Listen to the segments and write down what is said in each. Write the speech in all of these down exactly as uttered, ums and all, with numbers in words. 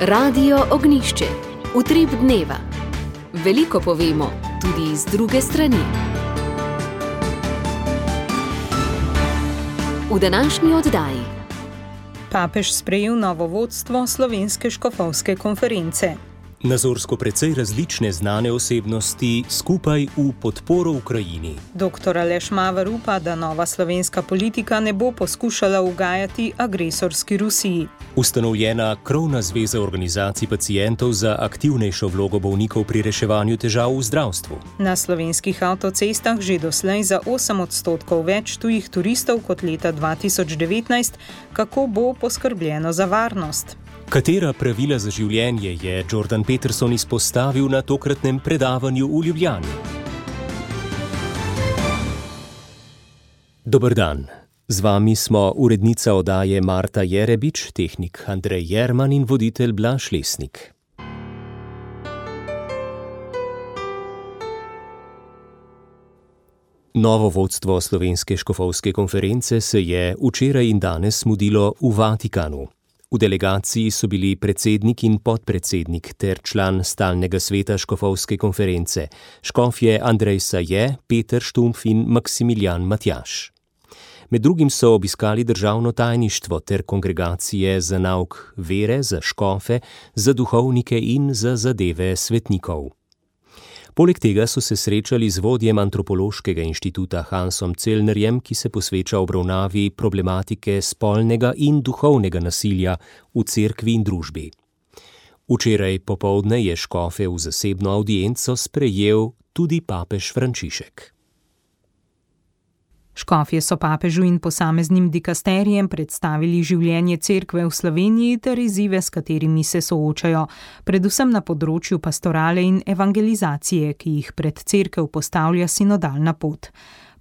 Radio Ognišče, utrip dneva. Veliko povemo, tudi z druge strani. V današnji oddaji. Papež sprejel novo vodstvo Slovenske škofovske konference. Nazorsko precej različne znane osebnosti skupaj v podporo Ukrajini. Doktor Aleš Maver upa, da nova slovenska politika ne bo poskušala ugajati agresorski Rusiji. Ustanovljena krovna zveza organizacij pacientov za aktivnejšo vlogo bolnikov pri reševanju težav v zdravstvu. Na slovenskih avtocestah že doslej za osem odstotkov več tujih turistov kot leta dva tisoč devetnajst. Kako bo poskrbljeno za varnost? Katera pravila za življenje je Jordan Peterson izpostavil na tokratnem predavanju v Ljubljani? Dober dan. Z vami smo urednica oddaje Marta Jerebič, tehnik Andrej Jerman in voditelj Blaž Lesnik. Novo vodstvo Slovenske škofovske konference se je včeraj in danes mudilo v Vatikanu. V delegaciji so bili predsednik in podpredsednik ter član stalnega sveta škofovske konference, škofje Andrej Saje, Peter Štumpf in Maksimilijan Matjaž. Med drugim so obiskali državno tajništvo ter kongregacije za nauk vere, za škofe, za duhovnike in za zadeve svetnikov. Poleg tega so se srečali z vodjem antropološkega inštituta Hansom Celnerjem, ki se posveča obravnavi problematike spolnega in duhovnega nasilja v cerkvi in družbi. Včeraj popoldne je škofe v zasebno avdienco sprejel tudi papež Frančišek. Škofje so papežu in posameznim dikasterijem predstavili življenje cerkve v Sloveniji ter izzive, s katerimi se soočajo, predvsem na področju pastorale in evangelizacije, ki jih pred cerkev postavlja sinodalna pot.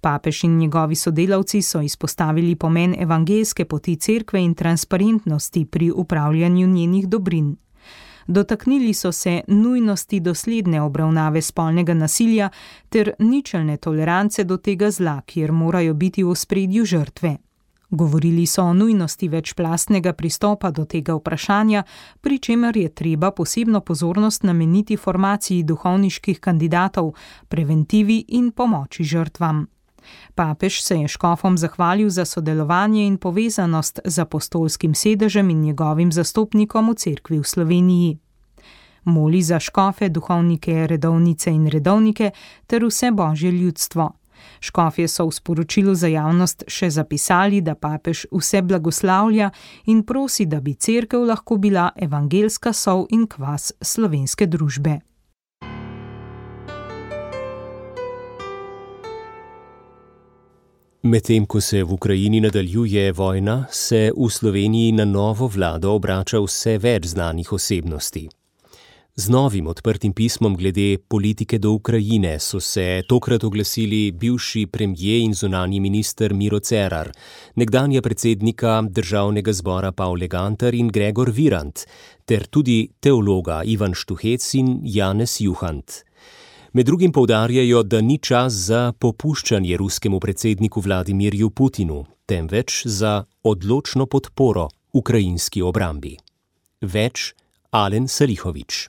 Papež in njegovi sodelavci so izpostavili pomen evangelske poti cerkve in transparentnosti pri upravljanju njenih dobrin. Dotaknili so se nujnosti dosledne obravnave spolnega nasilja ter ničelne tolerance do tega zla, kjer morajo biti v ospredju žrtve. Govorili so o nujnosti večplastnega pristopa do tega vprašanja, pri čemer je treba posebno pozornost nameniti formaciji duhovniških kandidatov, preventivi in pomoči žrtvam. Papež se je škofom zahvalil za sodelovanje in povezanost z apostolskim sedežem in njegovim zastopnikom v cerkvi v Sloveniji. Moli za škofe, duhovnike, redovnice in redovnike ter vse božje ljudstvo. Škofje so v sporočilu za javnost še zapisali, da papež vse blagoslavlja in prosi, da bi cerkev lahko bila evangelska sol in kvas slovenske družbe. Medtem ko se v Ukrajini nadaljuje vojna, se v Sloveniji na novo vlado obrača vse več znanih osebnosti. Z novim odprtim pismom glede politike do Ukrajine so se tokrat oglasili bivši premijer in zunanji minister Miro Cerar, nekdanja predsednika državnega zbora Pavle Gantar in Gregor Virant, ter tudi teologa Ivan Štuhec in Janez Juhant. Med drugim poudarjajo, da ni čas za popuščanje ruskemu predsedniku Vladimirju Putinu, temveč za odločno podporo ukrajinski obrambi. Več Alen Salihovič.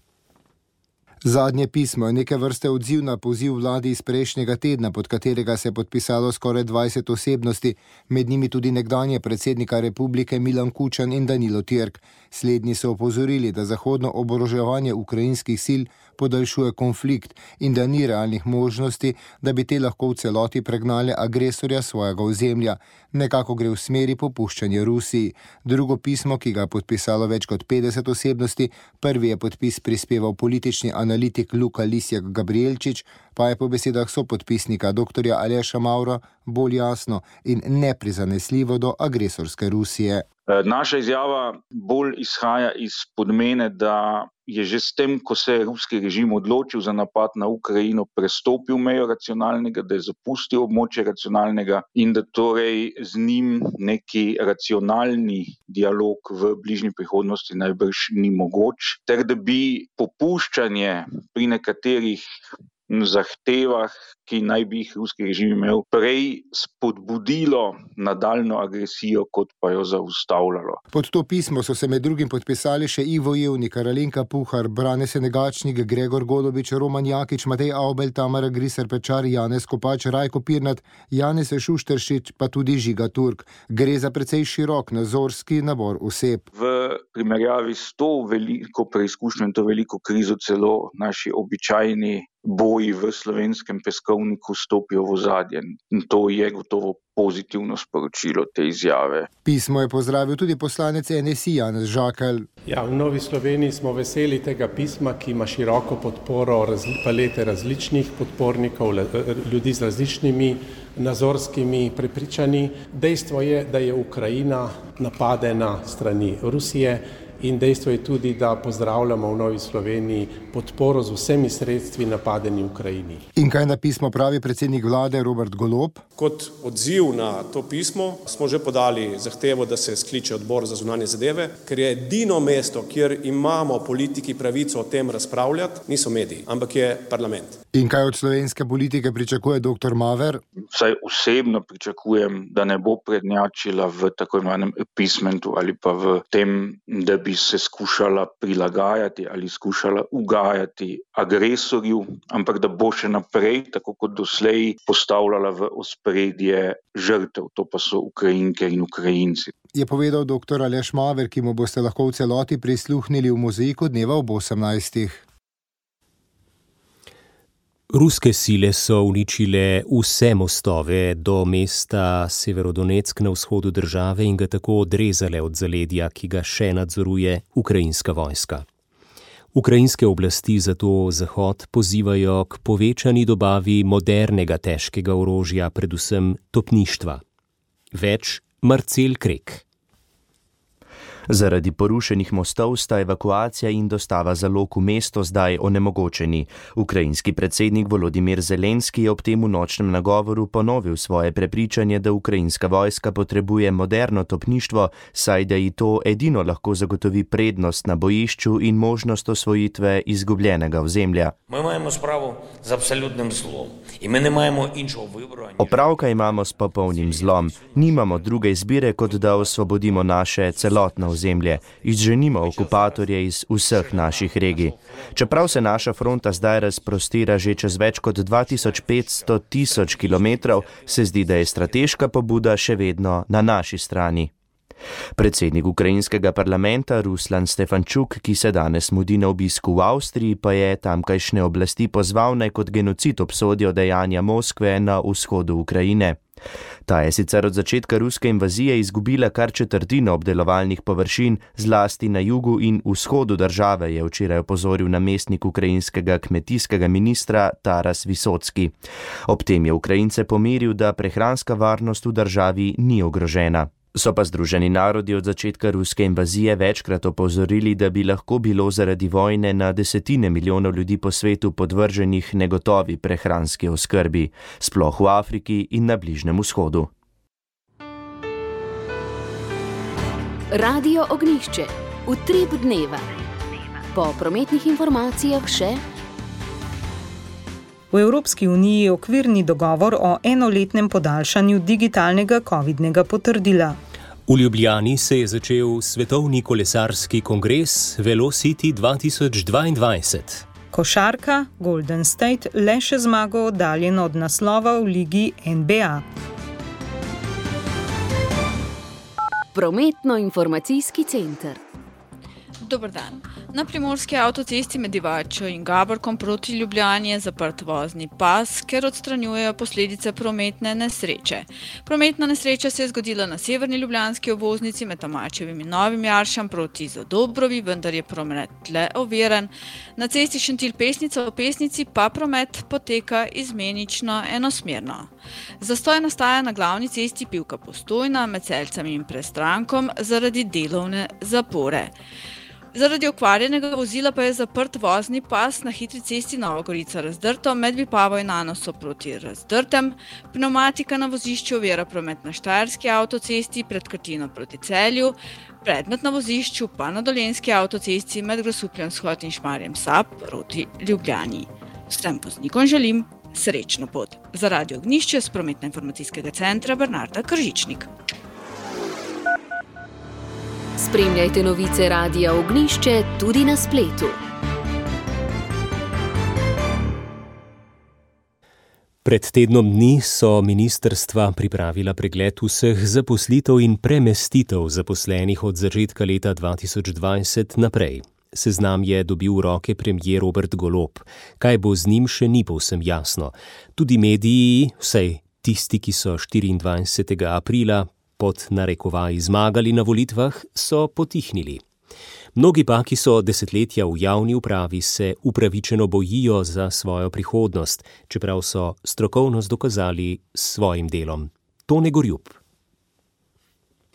Zadnje pismo je neke vrste odziv na poziv vladi iz prejšnjega tedna, pod katerega se je podpisalo skoraj dvajset osebnosti, med njimi tudi nekdanje predsednika republike Milan Kučan in Danilo Türk. Slednji so opozorili, da zahodno oboroževanje ukrajinskih sil podaljšuje konflikt in da ni realnih možnosti, da bi te lahko v celoti pregnale agresorja svojega ozemlja. Nekako gre v smeri popuščanja Rusiji. Drugo pismo, ki ga je podpisalo več kot petdeset osebnosti, prvi je podpis prispeval politični analitik Luka Lisjak Gabrielčič, pa je po besedah sopodpisnika doktorja Aleša Mavra bolj jasno in neprizanesljivo do agresorske Rusije. Naša izjava bolj izhaja iz podmene, da je že s tem, ko se je ruski režim odločil za napad na Ukrajino, prestopil mejo racionalnega, da je zapustil območje racionalnega in da torej z njim neki racionalni dialog v bližnji prihodnosti najbrž ni mogoč, ter da bi popuščanje pri nekaterih zahtevah, ki naj bi jih ruski režim imel, prej spodbudilo nadaljno agresijo, kot pa jo zaustavljalo. Pod to pismo so se med drugim podpisali še Ivo Jevnik, Alenka Puhar, Brane Senegačnik, Gregor Golobič, Roman Jakič, Matej Avbelj, Tamara Griser Pečar, Janez Kopač, Rajko Pirnat, Janez Šušteršič, pa tudi Žiga Turk. Gre za precej širok nazorski nabor oseb. V primerjavi s to veliko preizkušnjo in to veliko krizo celo naši običajni boji v slovenskem peskovniku stopijo v ozadje. In to je gotovo pozitivno sporočilo te izjave. Pismo je pozdravil tudi poslanec N S I Janez Žakelj. Ja, v Novi Sloveniji smo veseli tega pisma, ki ima široko podporo razli, palete različnih podpornikov, ljudi z različnimi nazorskimi prepričanji. Dejstvo je, da je Ukrajina napadena strani Rusije. In dejstvo je tudi, da pozdravljamo v Novi Sloveniji podporo z vsemi sredstvi napadeni Ukrajini. In kaj na pismo pravi predsednik vlade Robert Golob? Kot odziv na to pismo smo že podali zahtevo, da se skliče odbor za zunanje zadeve, ker je edino mesto, kjer imamo politiki pravico o tem razpravljati, niso mediji, ampak je parlament. In kaj od slovenske politike pričakuje doktor Maver? Vsaj osebno pričakujem, da ne bo prednjačila v tako imenem appeasementu ali pa v tem, da bi se skušala prilagajati ali skušala ugajati agresorju, ampak da bo še naprej, tako kot doslej, postavljala v ospredje žrtev, to pa so Ukrajinke in Ukrajinci. Je povedal doktor Aleš Maver, ki mu boste lahko v celoti prisluhnili v mozaiku dneva ob osemnajstih. Ruske sile so uničile vse mostove do mesta Severodonetsk na vzhodu države in ga tako odrezale od zaledja, ki ga še nadzoruje ukrajinska vojska. Ukrajinske oblasti zato Zahod pozivajo k povečani dobavi modernega težkega orožja, predvsem topništva. Več Marcel Krek. Zaradi porušenih mostov sta evakuacija in dostava zalog v mesto zdaj onemogočeni. Ukrajinski predsednik Volodimir Zelenski je ob tem v nočnem nagovoru ponovil svoje prepričanje, da ukrajinska vojska potrebuje moderno topništvo, saj da ji to edino lahko zagotovi prednost na bojišču in možnost osvojitve izgubljenega ozemlja. Mi imamo spravo z absolutnim zlom in mi ne imamo inšo vibro. Opravka imamo s popolnim zlom. Nimamo druge izbire, kot da osvobodimo naše celotno ozemlje, izženimo okupatorje iz vseh naših regij. Čeprav se naša fronta zdaj razprostira že čez več kot dva tisoč petsto tisoč kilometrov, se zdi, da je strateška pobuda še vedno na naši strani. Predsednik ukrajinskega parlamenta Ruslan Stefančuk, ki se danes mudi na obisku v Avstriji, pa je tamkajšnje oblasti pozval, naj kot genocid obsodijo dejanja Moskve na vzhodu Ukrajine. Ta je sicer od začetka ruske invazije izgubila kar četrtino obdelovalnih površin, zlasti na jugu in vzhodu države, je včeraj opozoril namestnik ukrajinskega kmetijskega ministra Taras Visocki. Ob tem je Ukrajince pomiril, da prehranska varnost v državi ni ogrožena. So pa Združeni narodi od začetka ruske invazije večkrat opozorili, da bi lahko bilo zaradi vojne na desetine milijonov ljudi po svetu podvrženih negotovi prehranski oskrbi, sploh v Afriki in na Bližnjem vzhodu. Radio Ognjišče. Utrip dneva. Po prometnih informacijah še... V Evropski uniji je okvirni dogovor o enoletnem podaljšanju digitalnega covidnega potrdila. V Ljubljani se je začel svetovni kolesarski kongres Velocity dva tisoč dvaindvajset. Košarka Golden State le še zmago oddaljen od naslova v ligi N B A. Prometno-informacijski center. Dober dan. Na primorski avtocesti med Divačo in Gaborkom proti Ljubljani je zaprt vozni pas, ker odstranjujejo posledice prometne nesreče. Prometna nesreča se je zgodila na severni ljubljanski obvoznici med Tomačevim in Novim Jaršem proti Zadobrovi, vendar je promet le oviran. Na cesti Šentilj-Pesnica v Pesnici pa promet poteka izmenično enosmerno. Zastoj nastaja na glavni cesti Pivka-Postojna med Selcami in Prestrankom zaradi delovne zapore. Zaradi okvarjenega vozila pa je zaprt vozni pas na hitri cesti Nova Gorica-Razdrto med Vipavo in Anoso proti Razdrtem. Pneumatika na vozišču ovira promet na Štajerski avtocesti pred Krtino proti Celju, predmet na vozišču pa na Dolenjski avtocesti med Grosupljem vzhod in Šmarjem Sap proti Ljubljani. Vsem voznikom želim srečno pot. Za Radio Ognjišče s Prometno-informacijskega centra Bernarda Kržičnik. Spremljajte novice Radia Ognjišče tudi na spletu. Pred tednom dni so ministrstva pripravila pregled vseh zaposlitev in premestitev zaposlenih od začetka leta dva tisoč dvajset naprej. Seznam je dobil v roke premier Robert Golob. Kaj bo z njim, še ni povsem jasno. Tudi mediji, vsaj tisti, ki so štiriindvajsetega aprila pod narekovaji zmagali na volitvah, so potihnili. Mnogi pa, ki so desetletja v javni upravi, se upravičeno bojijo za svojo prihodnost, čeprav so strokovnost dokazali s svojim delom. Tone Gorjup.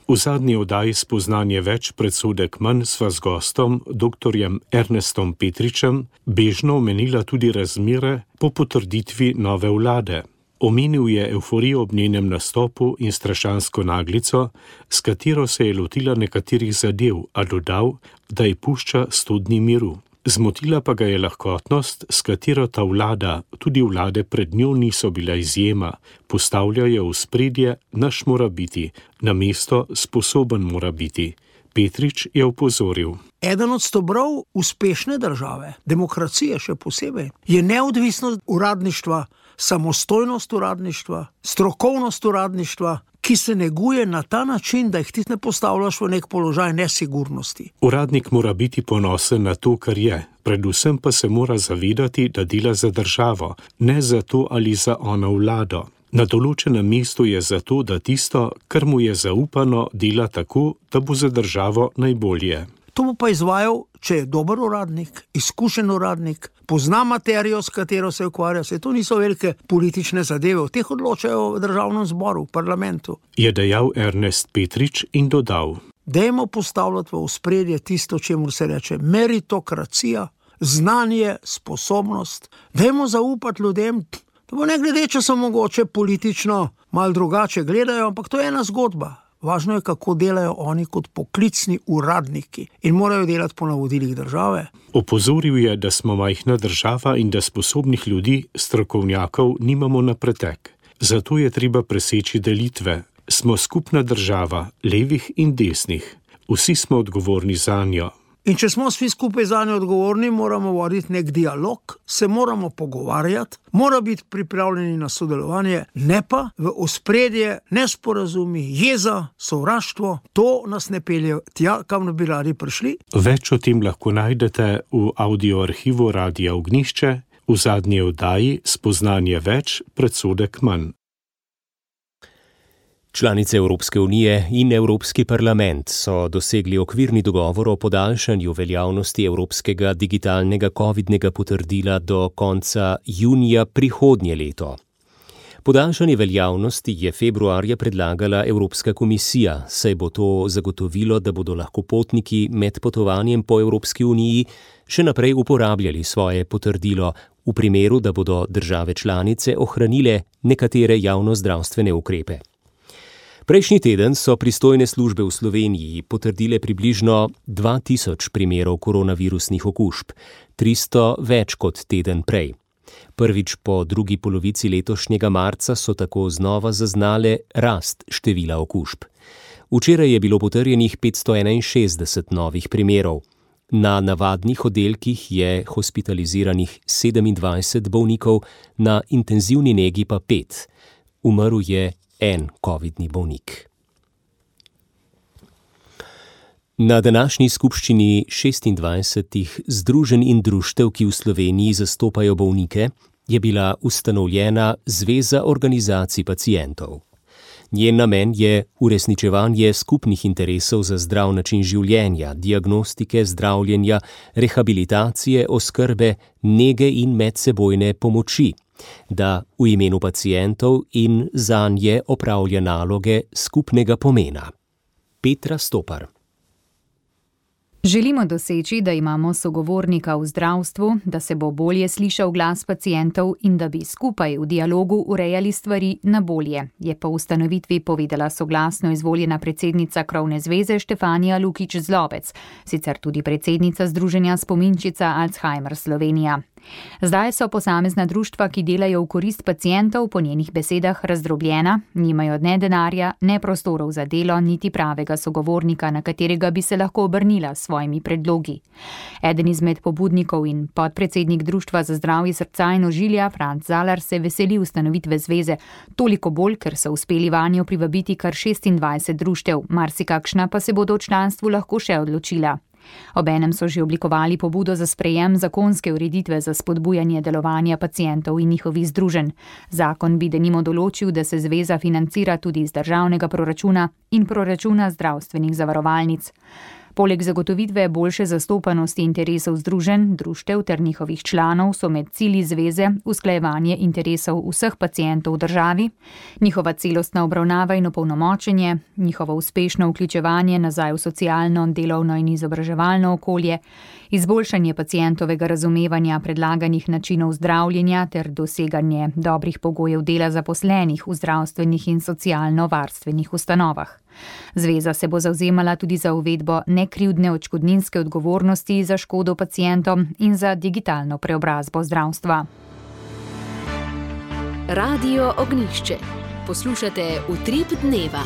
V zadnji oddaji Spoznanje več, predsodek manj sva z gostom, doktorjem Ernestom Petričem, bežno omenila tudi razmere po potrditvi nove vlade. Omenil je evforijo ob njenem nastopu in strašansko naglico, s katero se je lotila nekaterih zadev, a dodal, da ji pušča sto dni miru. Zmotila pa ga je lahkotnost, s katero ta vlada, tudi vlade pred njo niso bila izjema, postavljajo v spredje naš mora biti, namesto sposoben mora biti. Petrič je opozoril. Eden od stebrov uspešne države, demokracije še posebej, je neodvisnost uradništva, samostojnost uradništva, strokovnost uradništva, ki se neguje na ta način, da jih ti ne postavljaš v nek položaj nesigurnosti. Uradnik mora biti ponosen na to, kar je, predvsem pa se mora zavedati, da dela za državo, ne za to ali za ono vlado. Na določenem mestu je zato, da tisto, kar mu je zaupano, dela tako, da bo za državo najbolje. To bo pa izvajal, če je dober uradnik, izkušen uradnik, pozna materijo, s katero se ukvarja. Se to niso velike politične zadeve, v teh odločajo v državnem zboru, v parlamentu. Je dejal Ernest Petrič in dodal. Dajmo postavljati v ospredje tisto, čemu se reče meritokracija, znanje, sposobnost. Dajmo zaupati ljudem, da bo ne glede, če so mogoče politično malo drugače gledajo, ampak to je ena zgodba. Važno je, kako delajo oni kot poklicni uradniki in morajo delati po navodilih države. Opozoril je, da smo majhna država in da sposobnih ljudi, strokovnjakov, nimamo na pretek. Zato je treba preseči delitve. Smo skupna država, levih in desnih. Vsi smo odgovorni zanjo. In če smo vsi skupaj zanjo odgovorni, moramo voditi nek dialog, se moramo pogovarjati, mora biti pripravljeni na sodelovanje, ne pa v ospredje nesporazumi, jeza, sovraštvo. To nas ne pelje tja, kam bi radi prišli. Več o tem lahko najdete v audioarhivu Radia Ognjišče, v zadnji oddaji Spoznanje več, predsodek manj. Članice Evropske unije in Evropski parlament so dosegli okvirni dogovor o podaljšanju veljavnosti evropskega digitalnega covidnega potrdila do konca junija prihodnje leto. Podaljšanje veljavnosti je februarja predlagala Evropska komisija, saj bo to zagotovilo, da bodo lahko potniki med potovanjem po Evropski uniji še naprej uporabljali svoje potrdilo, v primeru, da bodo države članice ohranile nekatere javnozdravstvene ukrepe. Prejšnji teden so pristojne službe v Sloveniji potrdile približno dva tisoč primerov koronavirusnih okužb, tristo več kot teden prej. Prvič po drugi polovici letošnjega marca so tako znova zaznale rast števila okužb. Včeraj je bilo potrjenih petsto enainšestdeset novih primerov. Na navadnih oddelkih je hospitaliziranih sedemindvajset bolnikov, na intenzivni negi pa pet. Umrl je en covidni bolnik. Na današnji skupščini šestindvajsetih združenj in društev, ki v Sloveniji zastopajo bolnike, je bila ustanovljena Zveza organizacij pacientov. Njen namen je uresničevanje skupnih interesov za zdrav način življenja, diagnostike, zdravljenja, rehabilitacije, oskrbe, nege in medsebojne pomoči, da v imenu pacientov in zanje opravlja naloge skupnega pomena. Petra Stopar. Želimo doseči, da imamo sogovornika v zdravstvu, da se bo bolje slišal glas pacientov in da bi skupaj v dialogu urejali stvari na bolje, je po ustanovitvi povedala soglasno izvoljena predsednica Krovne zveze Štefanija Lukič Zlobec, sicer tudi predsednica Združenja Spominčica Alzheimer Slovenija. Zdaj so posamezna društva, ki delajo v korist pacientov, po njenih besedah razdrobljena, nimajo ne denarja, ne prostorov za delo, niti pravega sogovornika, na katerega bi se lahko obrnila s svojimi predlogi. Eden izmed pobudnikov in podpredsednik Društva za zdravje srca in ožilja, Franc Zalar, se veseli ustanovitve zveze, toliko bolj, ker so uspeli vanjo privabiti kar šestindvajset društev, marsikakšna pa se bodo v članstvu lahko še odločila. Obenem so že oblikovali pobudo za sprejem zakonske ureditve za spodbujanje delovanja pacientov in njihovih združenj. Zakon bi denimo določil, da se zveza financira tudi iz državnega proračuna in proračuna zdravstvenih zavarovalnic. Poleg zagotovitve boljše zastopanosti interesov združenj, društev ter njihovih članov so med cilji zveze usklajevanje interesov vseh pacientov v državi, njihova celostna obravnava in opolnomočenje, njihovo uspešno vključevanje nazaj v socialno, delovno in izobraževalno okolje, izboljšanje pacientovega razumevanja predlaganih načinov zdravljenja ter doseganje dobrih pogojev dela zaposlenih v zdravstvenih in socialno-varstvenih ustanovah. Zveza se bo zavzemala tudi za uvedbo nekrivdne odškodninske odgovornosti za škodo pacientom in za digitalno preobrazbo zdravstva. Radio Ognjišče. Poslušate Utrip dneva.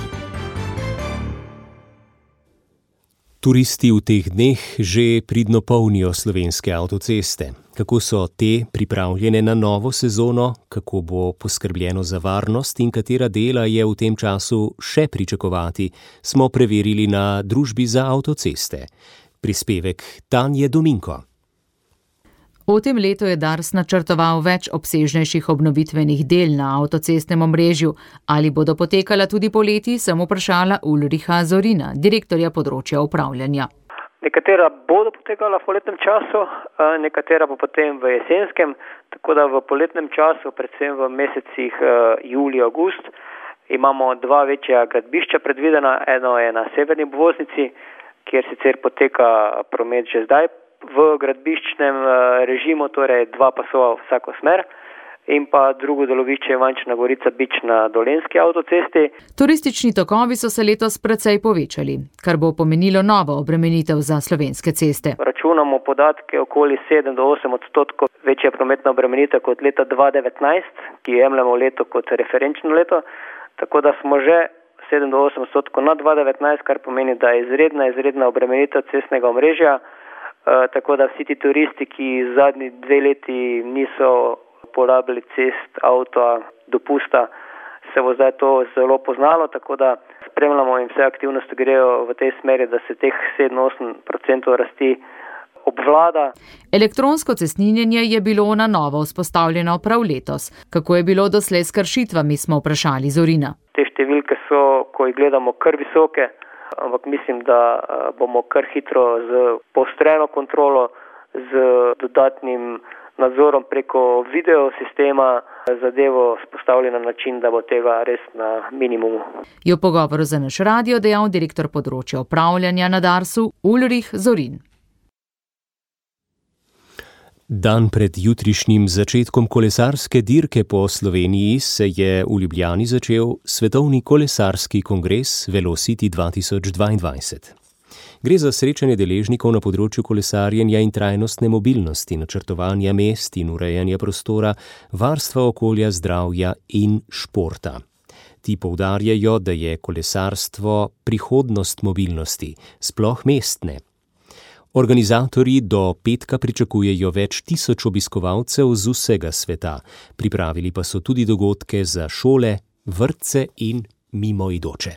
Turisti v teh dneh že pridno polnijo slovenske avtoceste. Kako so te pripravljene na novo sezono, kako bo poskrbljeno za varnost in katera dela je v tem času še pričakovati, smo preverili na Družbi za avtoceste. Prispevek Tanje Dominko. V tem letu je Dars načrtoval več obsežnejših obnovitvenih del na avtocestnem omrežju. Ali bodo potekala tudi poleti, sem vprašala Ulricha Zorina, direktorja področja upravljanja. Nekatera bodo potekala v poletnem času, nekatera pa potem v jesenskem, tako da v poletnem času, predvsem v mesecih julij, august, imamo dva večja gradbišča predvidena. Eno je na severni obvoznici, kjer sicer poteka promet že zdaj v gradbiščnem režimu, torej dva pasova v vsako smer, in pa drugo delovišče Ivančna Gorica-Bič na Dolenjski avtocesti. Turistični tokovi so se letos precej povečali, kar bo pomenilo novo obremenitev za slovenske ceste. Računamo podatke okoli sedem do osem odstotkov večja prometna obremenitev kot leta dva tisoč devetnajst, ki jemljemo leto kot referenčno leto, tako da smo že sedem do osem odstotkov na dva tisoč devetnajst, kar pomeni, da je izredna, izredna obremenitev cestnega omrežja, e, tako da vsi ti turisti, ki zadnji dve leti niso porabili cest, avta, dopusta, se bo zdaj to zelo poznalo, tako da spremljamo in vse aktivnosti grejo v tej smeri, da se teh sedem do osem odstotkov rasti obvlada. Elektronsko cestninjenje je bilo na novo vzpostavljeno prav letos. Kako je bilo doslej s kršitvami, smo vprašali Zorina. Te številke so, ko jih gledamo, kar visoke, ampak mislim, da bomo kar hitro z poostreno kontrolo, z dodatnim nadzorom preko video sistema zadevo spostavili na način, da bo tega res na minimumu. Je v pogovoru za naš radio dejal direktor področja upravljanja na Darsu Ulrich Zorin. Dan pred jutrišnjim začetkom kolesarske dirke po Sloveniji se je v Ljubljani začel svetovni kolesarski kongres Velocity dva tisoč dvaindvajset. Gre za srečanje deležnikov na področju kolesarjenja in trajnostne mobilnosti, načrtovanja mest in urejanja prostora, varstva okolja, zdravja in športa. Ti poudarjajo, da je kolesarstvo prihodnost mobilnosti, sploh mestne. Organizatorji do petka pričakujejo več tisoč obiskovalcev z vsega sveta, pripravili pa so tudi dogodke za šole, vrtce in mimoidoče.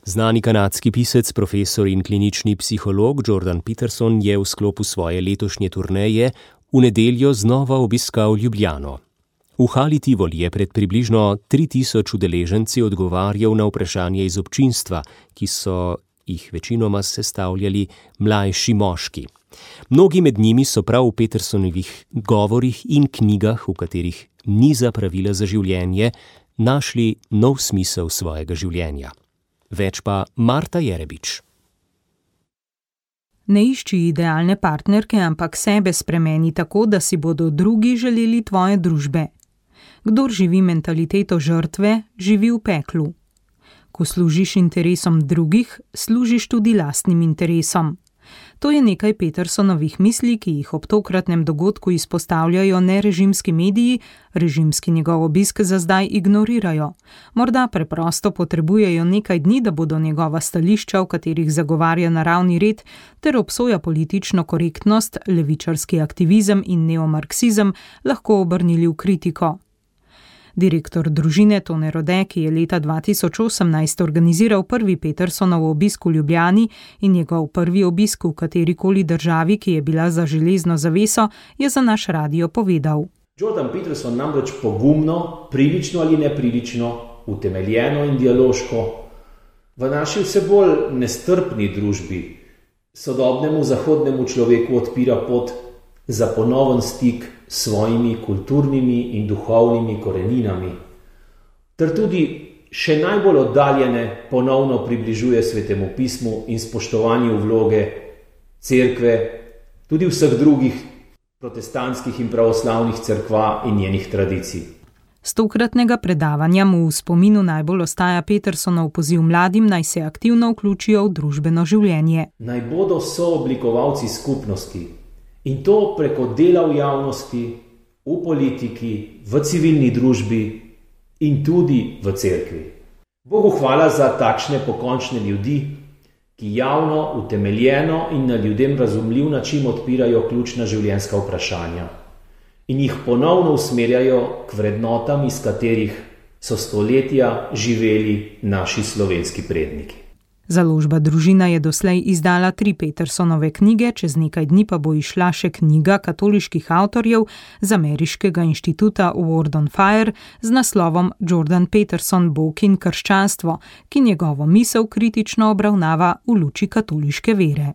Znani kanadski pisec, profesor in klinični psiholog Jordan Peterson je v sklopu svoje letošnje turneje v nedeljo znova obiskal Ljubljano. V hali Tivoli je pred približno tri tisoč udeleženci odgovarjal na vprašanje iz občinstva, ki so jih večinoma sestavljali mlajši moški. Mnogi med njimi so prav v Petersonovih govorih in knjigah, v katerih niza pravila za življenje, našli nov smisel svojega življenja. Več pa Marta Jerebič. Ne išči idealne partnerke, ampak sebe spremeni tako, da si bodo drugi želeli tvoje družbe. Kdor živi mentaliteto žrtve, živi v peklu. Ko služiš interesom drugih, služiš tudi lastnim interesom. To je nekaj Petersonovih misli, ki jih ob tokratnem dogodku izpostavljajo nerežimski mediji, režimski njegov obisk za zdaj ignorirajo. Morda preprosto potrebujejo nekaj dni, da bodo njegova stališča, v katerih zagovarja naravni red, ter obsoja politično korektnost, levičarski aktivizem in neomarksizem, lahko obrnili v kritiko. Direktor družine Tone Rode, ki je leta dva tisoč osemnajst organiziral prvi Petersonov obisk v Ljubljani in njegov prvi obisk v katerikoli državi, ki je bila za železno zaveso, je za naš radio povedal. Jordan Peterson namreč pogumno, prilično ali neprilično, utemeljeno in dialoško v naši vse bolj nestrpni družbi sodobnemu zahodnemu človeku odpira pot za ponoven stik s svojimi kulturnimi in duhovnimi koreninami, ter tudi še najbolj oddaljene ponovno približuje Svetemu pismu in spoštovanju vloge cerkve, tudi vseh drugih protestantskih in pravoslavnih cerkva in njenih tradicij. Z tokratnega predavanja mu v spominu najbolj ostaja Petersonov poziv mladim, naj se aktivno vključijo v družbeno življenje. Naj bodo sooblikovalci skupnosti. In to preko dela v javnosti, v politiki, v civilni družbi in tudi v cerkvi. Bogu hvala za takšne pokončne ljudi, ki javno, utemeljeno in na ljudem razumljiv način odpirajo ključna življenjska vprašanja in jih ponovno usmerjajo k vrednotam, iz katerih so stoletja živeli naši slovenski predniki. Založba Družina je doslej izdala tri Petersonove knjige, čez nekaj dni pa bo izšla še knjiga katoliških avtorjev z ameriškega inštituta Word on Fire z naslovom Jordan Peterson, Bog in krščanstvo, ki njegovo misel kritično obravnava v luči katoliške vere.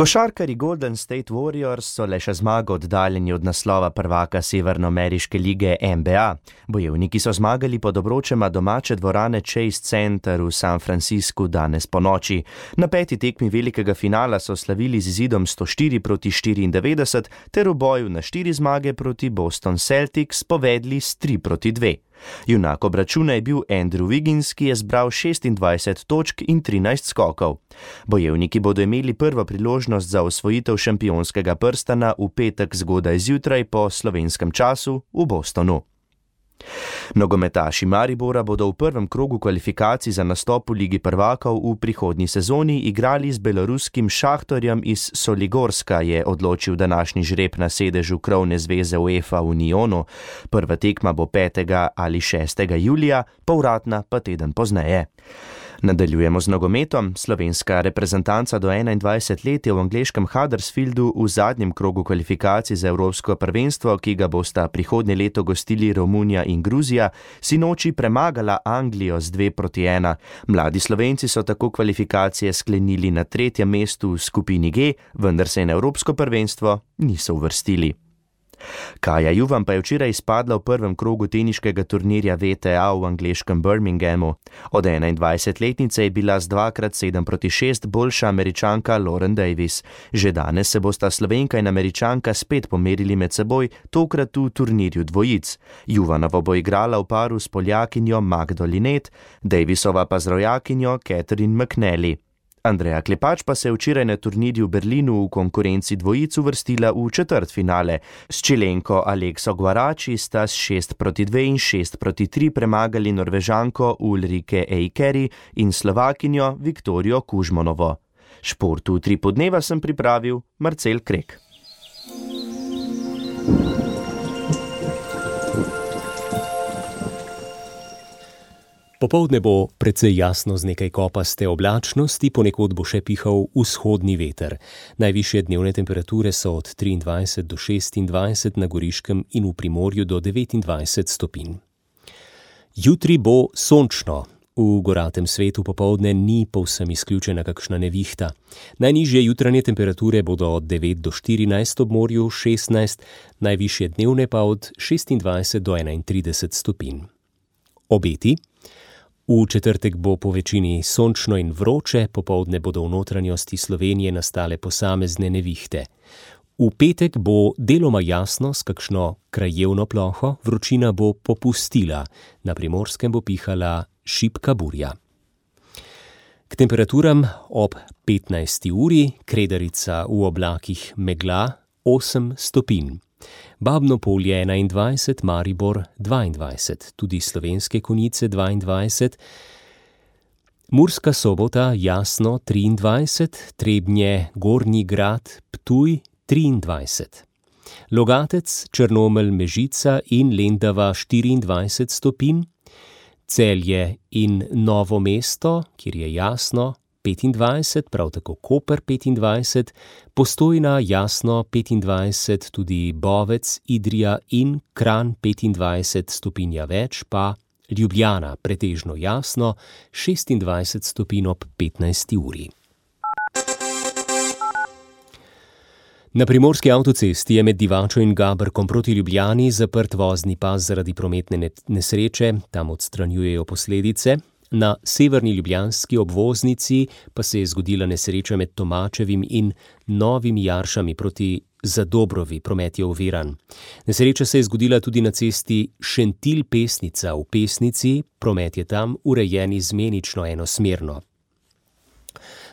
Košarkarji Golden State Warriors so le še zmago oddaljeni od naslova prvaka severnoameriške lige N B A. Bojevniki so zmagali pod obročema domače dvorane Chase Center v San Franciscu danes ponoči. Na peti tekmi velikega finala so slavili z izidom sto štiri proti štiriindevetdeset ter v boju na štiri zmage proti Boston Celtics povedli s tri proti dve. Junak obračuna je bil Andrew Wiggins, ki je zbral šestindvajset točk in trinajst skokov. Bojevniki bodo imeli prvo priložnost za osvojitev šampionskega prstana v petek zgodaj zjutraj po slovenskem času v Bostonu. Nogometaši Maribora bodo v prvem krogu kvalifikacij za nastop v Ligi prvakov v prihodnji sezoni igrali z beloruskim Šahtorjem iz Soligorska, je odločil današnji žreb na sedežu krovne zveze UEFA v Unionu. Prva tekma bo petega ali šestega julija, povratna pa teden pozneje. Nadaljujemo z nogometom. Slovenska reprezentanca do enaindvajset let je v angleškem Huddersfieldu v zadnjem krogu kvalifikacij za evropsko prvenstvo, ki ga bosta prihodnje leto gostili Romunija in Gruzija, sinoči premagala Anglijo z dve proti ena. Mladi Slovenci so tako kvalifikacije sklenili na tretjem mestu v skupini G, vendar se na evropsko prvenstvo niso uvrstili. Kaja Juvan pa je včeraj izpadla v prvem krogu teniškega turnirja V T A v angleškem Birminghamu. Od enaindvajsetletnice je bila z dvakrat sedem proti šest boljša Američanka Lauren Davis. Že danes se bosta Slovenka in Američanka spet pomerili med seboj, tokrat v turnirju dvojic. Juvanova bo igrala v paru s Poljakinjo Magdo Linet, Davisova pa z rojakinjo Catherine McNally. Andreja Klepač pa se je včeraj na turnirju v Berlinu v konkurenci dvojic uvrstila v četrtfinale. S Čilenko Alekso Guarači sta s šest proti dve in šest proti tri premagali Norvežanko Ulrike Eikeri in Slovakinjo Viktorijo Kužmonovo. Športu tri podneva sem pripravil Marcel Krek. Popoldne bo precej jasno z nekaj kopaste oblačnosti, ponekod bo še pihal vzhodni veter. Najvišje dnevne temperature so od triindvajset do šestindvajset na Goriškem in v Primorju do devetindvajset stopinj. Jutri bo sončno. V goratem svetu popoldne ni povsem izključena kakšna nevihta. Najnižje jutranje temperature bodo od devet do štirinajst, ob morju šestnajst, najvišje dnevne pa od šestindvajset do enaintrideset stopinj. Obeti. V četrtek bo po večini sončno in vroče, popoldne bodo v notranjosti Slovenije nastale posamezne nevihte. V petek bo deloma jasno s kakšno krajevno ploho, vročina bo popustila, na Primorskem bo pihala šibka burja. K temperaturam ob petnajsti uri, Kredarica v oblakih megla osem stopinj. Babno Polje enaindvajset, Maribor dvaindvajset, tudi Slovenske Konjice dvaindvajset, Murska Sobota jasno triindvajset, Trebnje, Gornji Grad, Ptuj triindvajset. Logatec, Črnomelj, Mežica in Lendava štiriindvajset stopinj, Celje in Novo mesto, kjer je jasno, petindvajset, prav tako Koper petindvajset, Postojna jasno petindvajset, tudi Bovec, Idrija in Kranj petindvajset stopinja več, pa Ljubljana pretežno jasno šestindvajset stopinj ob petnajsti uri. Na primorski avtocesti je med Divačo in Gabrkom proti Ljubljani zaprt vozni pas zaradi prometne nesreče, tam odstranjujejo posledice. Na severni ljubljanski obvoznici pa se je zgodila nesreča med Tomačevim in Novimi Jaršami proti Zadobrovi, promet je oviran. Nesreča se je zgodila tudi na cesti Šentilj-Pesnica v Pesnici, promet je tam urejen izmenično enosmerno.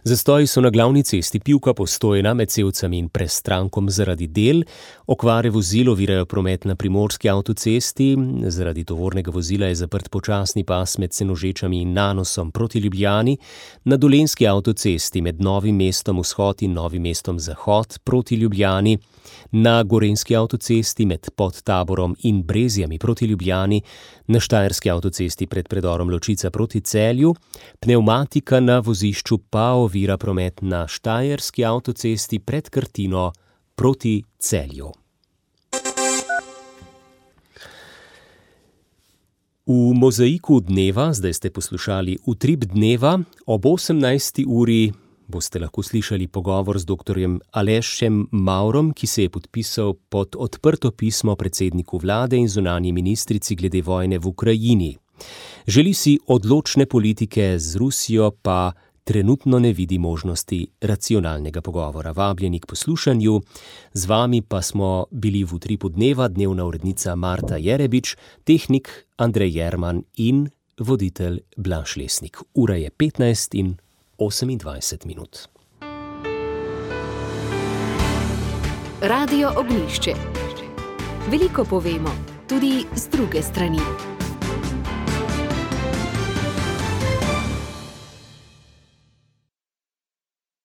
Zastoji so na glavni cesti Pivka-Postojna med Sevcami in Prestrankom zaradi del, okvare vozil ovirajo promet na primorski avtocesti, zaradi tovornega vozila je zaprt počasni pas med Senožečami in Nanosom proti Ljubljani, na dolenjski avtocesti med Novim mestom vzhod in Novim mestom zahod proti Ljubljani, na gorenjski avtocesti med Podtaborom in Brezjami proti Ljubljani, na štajerski avtocesti pred predorom Ločica proti Celju, pnevmatika na vozišču pa ovira promet na štajerski avtocesti pred Krtino proti Celju. V mozaiku dneva, zdaj ste poslušali Utrip dneva, ob osemnajsti uri boste lahko slišali pogovor z doktorjem Alešem Maurom, ki se je podpisal pod odprto pismo predsedniku vlade in zunanji ministrici glede vojne v Ukrajini. Želi si odločne politike, z Rusijo pa trenutno ne vidi možnosti racionalnega pogovora. Vabljeni k poslušanju, z vami pa smo bili v Utripu dneva, dnevna urednica Marta Jerebič, tehnik Andrej Jerman in voditelj Blaž Lesnik. Ura je petnajst in osemindvajset minut. Radio Ognjišče. Veliko povemo, tudi z druge strani.